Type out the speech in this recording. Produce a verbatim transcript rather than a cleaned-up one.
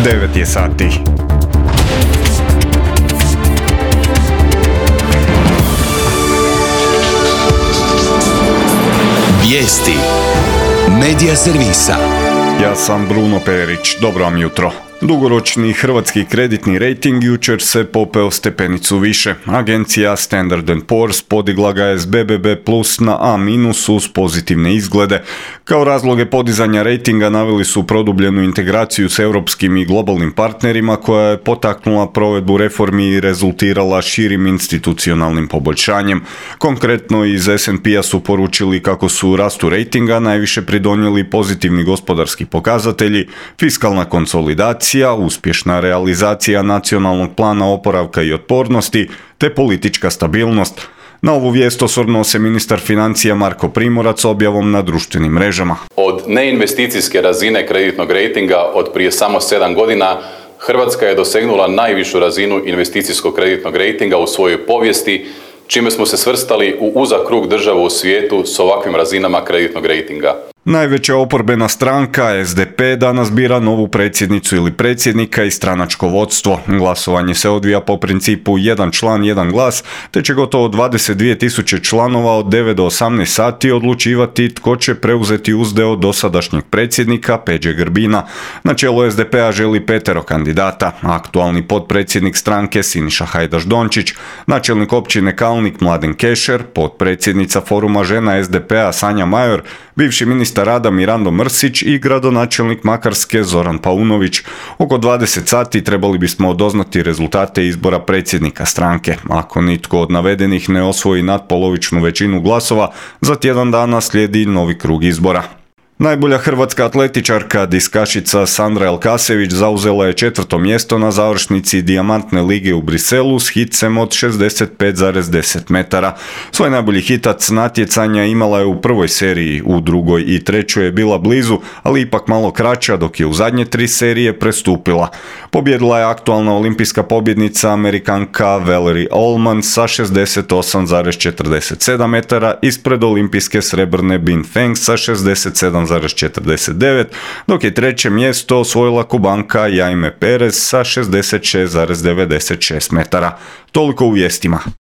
devet je sati. Vijesti Medija servisa. Ja sam Bruno Perić, dobro vam jutro. Dugoročni hrvatski kreditni rejting jučer se popeo stepenicu više. Agencija Standard and Poor's podigla ga je s be be be plus na A minus uz pozitivne izglede. Kao razloge podizanja rejtinga naveli su produbljenu integraciju s europskim i globalnim partnerima koja je potaknula provedbu reformi i rezultirala širim institucionalnim poboljšanjem. Konkretno iz es and pe-a su poručili kako su rastu rejtinga najviše pridonijeli pozitivni gospodarski pokazatelji, fiskalna konsolidacija, uspješna realizacija nacionalnog plana oporavka i otpornosti te politička stabilnost. Na ovu vijest osvrnuo se ministar financija Marko Primorac objavom na društvenim mrežama. Od neinvesticijske razine kreditnog rejtinga od prije samo sedam godina Hrvatska je dosegnula najvišu razinu investicijskog kreditnog rejtinga u svojoj povijesti, čime smo se svrstali u uzak krug država u svijetu s ovakvim razinama kreditnog rejtinga. Najveća oporbena stranka es de pe danas bira novu predsjednicu ili predsjednika i stranačko vodstvo. Glasovanje se odvija po principu jedan član, jedan glas, te će gotovo dvadeset dvije tisuće članova od devet do osamnaest sati odlučivati tko će preuzeti uzdeo dosadašnjeg predsjednika Peđe Grbina. Na čelu es de pe-a želi petero kandidata, aktualni potpredsjednik stranke Siniša Hajdaš Dončić, načelnik općine Kalnik Mladen Kešer, potpredsjednica foruma žena es de pe-a Sanja Major, bivši ministar rada Mirando Mrsić i gradonačelnik Makarske Zoran Paunović. Oko dvadeset sati trebali bismo doznati rezultate izbora predsjednika stranke. Ako nitko od navedenih ne osvoji natpolovičnu većinu glasova, za tjedan dana slijedi novi krug izbora. Najbolja hrvatska atletičarka diskašica Sandra Elkasević zauzela je četvrto mjesto na završnici Dijamantne lige u Briselu s hitcem od šezdeset pet zarez deset metara. Svoj najbolji hitac natjecanja imala je u prvoj seriji, u drugoj i trećoj je bila blizu, ali ipak malo kraća dok je u zadnje tri serije prestupila. Pobjedila je aktualna olimpijska pobjednica Amerikanka Valerie Allman sa šezdeset osam zarez četrdeset sedam metara ispred olimpijske srebrne Bing Feng sa šezdeset sedam zarez četrdeset devet, dok je treće mjesto osvojila Kubanka Jaime Perez sa šezdeset šest zarez devedeset šest metara. Toliko u vijestima.